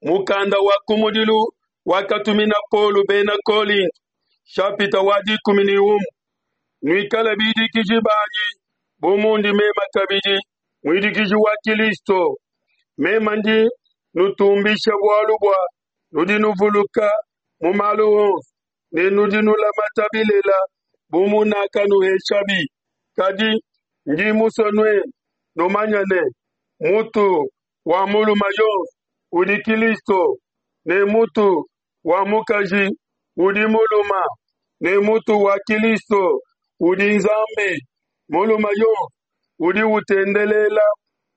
Mukanda wa kumudilu wakatumina Paulo bena Kolinto, shapita wa 11. Nuikale bidikiji banyi bu mundi mema kabidi muidikiji wa Kilisto. Mema ndi nutumbisha bualu bua nudi nuvuluka mu malu onso ne nudi nulamata bilela bu munakanuheshabi. Kadi ndi musue nuenu numanye ne, mutu wa mulume yonso udi Kilisto, ne mutu wa mukaji udi mulume, ne mutu wa Kilisto udi Nzambi. Mulume yonso udi utendelela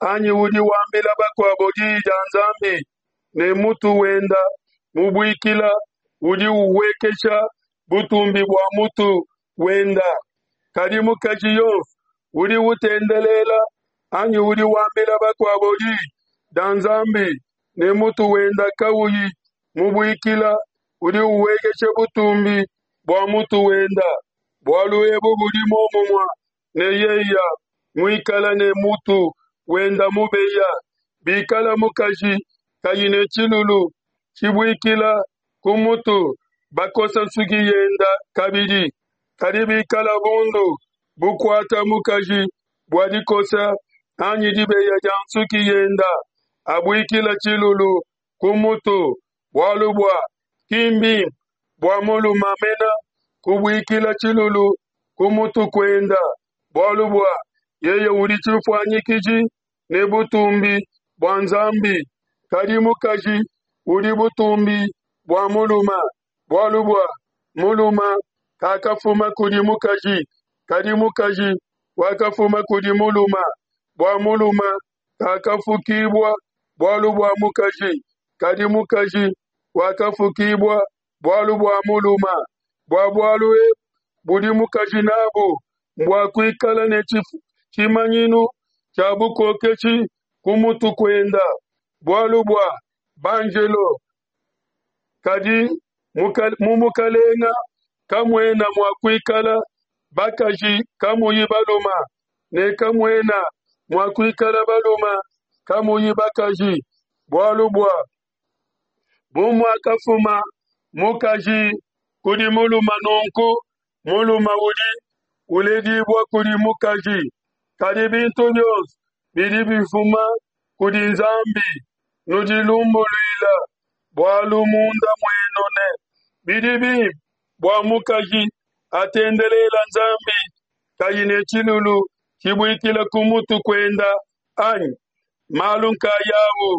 anyi udi wambila bakuabo diyi dia Nzambi ne mutu wenda mubuikila udi uhuekesha butumbi bua mutu wenda. Kadi mukaji yonso udi utendelela anyi udi wambila bakuabo diyi dia Nzambi ne mutu wenda kauyi mubuikila udi uhuekesha butumbi bua mutu wenda. Bualu ebu budi muomumue ne yeya muikala ne mutu wenda mubeya. Bikala mukaji kayi ne tshilulu tshibuikila ku mutu, bakosa nsuki yenda kabidi. Kadi bikala bundu bukuata mukaji bua dikosa anyi dibeya dia nsuki yenda, abuikila tshilulu ku mutu, bualu bua ki mbimpe bua mulume mena kubuikila tshilulu ku mutu kuenda, bualu bua yeye udi tshifuanyikiji ne butumbi bua Nzambi. Kadi mukaji udi butumbi bua mulume, bualu bua mulume kakafuma kudi mukaji, kadi mukaji wakafuma kudi mulume. Bua mulume kakafukibua bualu bua mukaji, kadi mukaji wakafukibua bualu bua mulume. Bua bualu ebu budi mukaji nabu mbua kuikala ne tshimanyinu tshia bukokeshi ku mutu kuenda, bualu bua banjelo. Kadi mu mukalenga kamuena mua kuikala bakaji kamuyi balume, ne kamuena mua kuikala balume kamuyi bakaji, bualu bua bu muakafuma mukaji kudi mulume, nunku mulume udi uledibua kudi mukaji. Kadi bintu bionso bidi bifuma kudi Nzambi. Nudilumbuluila bualu munda muenu ne bidi bimpe bua mukaji atendelela Nzambi kayi ne tshilulu tshibuikila ku mutu kuenda anyi? Malu nkayawu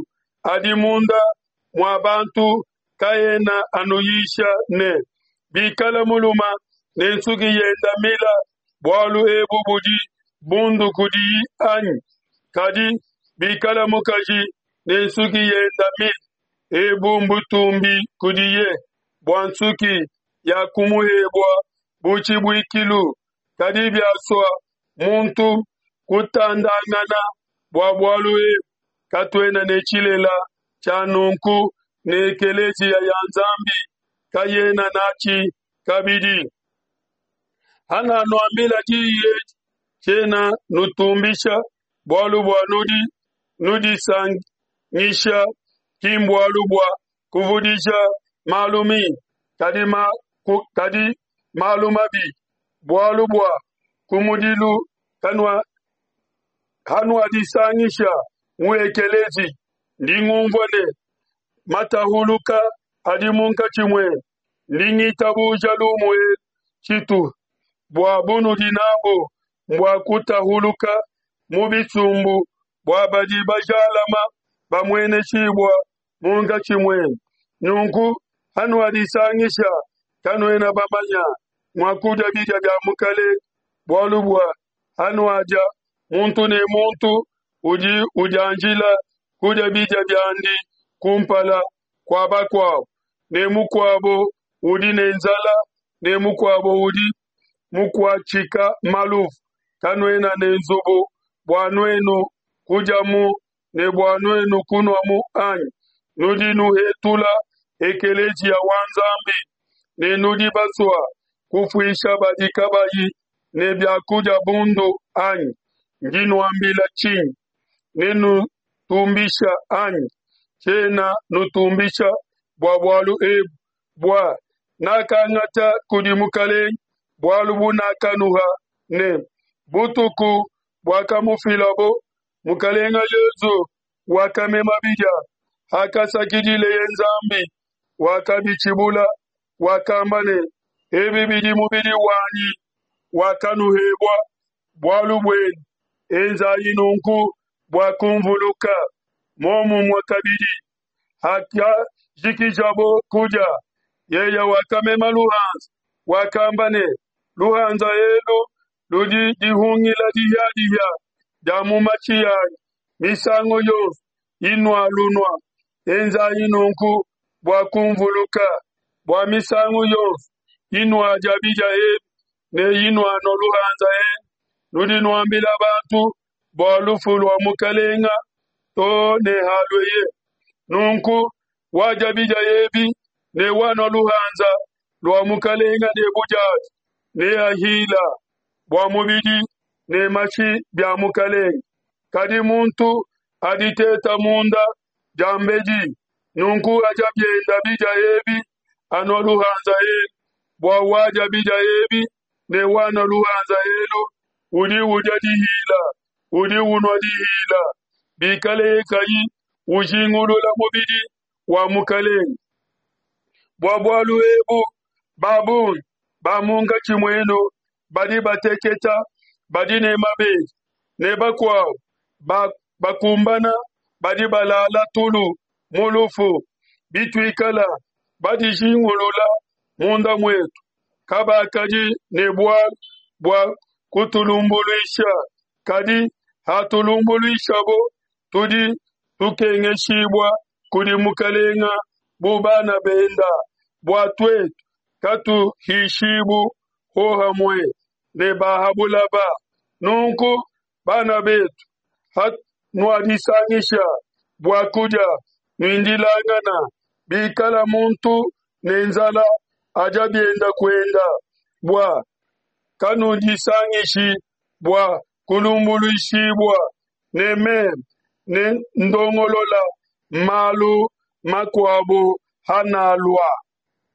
adi munda mua bantu kaena anuyisha ne, bikala mulume ne nsuki yenda mila, bualu ebu budi bundu kudiyi anyi? Kadi bikala mukaji ne nsuki yenda mila, ebu mbutumbi kudiye, bua nsuki yakumuhebua bu tshibuikilu. Kadi biasua muntu kutandangana bua bualu ebu, katuena ne tshilela tshia nunku, ne ekeleziya ya Nzambi kayena natshi kabidi. Hananuambila diyi edi, tshiena nutumbisha, bualu bua nudi nudisangisha, ki mbualu bua kuvudija malu mimpe, kadi, ma, ku, kadi malu mabi, bualu bua kumudilu kanua hanuadisangisha mu ekelezi, ndi ngumvua ne matahuluka adi munkatshi muenu. Ndi ngitabuja lumu elu tshitu bua bunudi nabu mbua kutahuluka mu bisumbu, bua badi bajalama bamueneshibua munkatshi muenu. Nunku hanuadisangisha, kanuena bamanya mua kudia bidia bia Mukelenge, bualu bua hanuadia, muntu ne muntu udi udianjila kudia bidia biandi kumpala kua bakuabo, ne mukuabo udi ne nzala, ne mukuabo udi mukuatshika maluvu. Kanuena ne nzubu bua nuenu kudiamu ne bua nuenu kunuamu anyi? Nudi nuhetula ekeleziya wa Nzambi ne nudi basua kufuisha badi kabayi ne bia kudia bundu anyi? Ndi nuambila tshinyi? Nenutumbisha anyi? Tshiena nutumbisha bua bualu ebu, bua nakangata kudi Mukelenge bualu bunakanuha ne, Butuku buakamufilabo, Mukelenge Yesu wakamema bidia, hakasakidileye Nzambi, wakabitshibula, wakamba ne, Ebi bidi mubidi wanyi wakanuhebua bualu buenu, enzayi nunku bua kunvuluka. Momumue kabidi, hakajikijabo kudia, yeye wakamema luhanza, wakamba ne, Luhanza elu ludi dihungila dihia-dihia dia mu mashi anyi, misangu yonso inualunua, enzayi nunku bua kunvuluka. Bua misangu yonso inuadia bidia ebi ne inuanua luhanza elu, nudi nuambila bantu bua lufu lua Mukelenge to ne halueye. Nunku wadia bidia ebi ne wanua luhanza lua Mukelenge ne budiavi neahila bua mubidi ne mashi bia Mukelenge. Kadi muntu aditeta munda diambedi, nunku adia bienda bidia ebi, anua luhanza elu, bua wadia bidia ebi ne wanua luhanza elu udi udia dihila, udi unua dihila, bikaleye kayi ujingulula mubidi wa Mukelenge. Bua bualu ebu ba bungi ba munkatshi muenu badi bateketa, badi ne mabedi, ne bakuabo bakumbana badi balala tulu mu lufu. Bituikala badijingulula munda muetu, kabakadi ne bualu bua kutulumbuluisha, kadi hatulumbuluishabo, tudi tukengeshibua kudi Mukelenge bu bana benda, bua tuetu katuhishibu hohamue ne ba ha bulaba. Nunku, bana betu, hanuadisangisha bua kudia, nuindilangana. Bikala muntu ne nzala, adia bienda kuenda, bua kanudisangishi bua kulumbuluishibua. Ne meme ne ndongolola malu makuabo hanalua.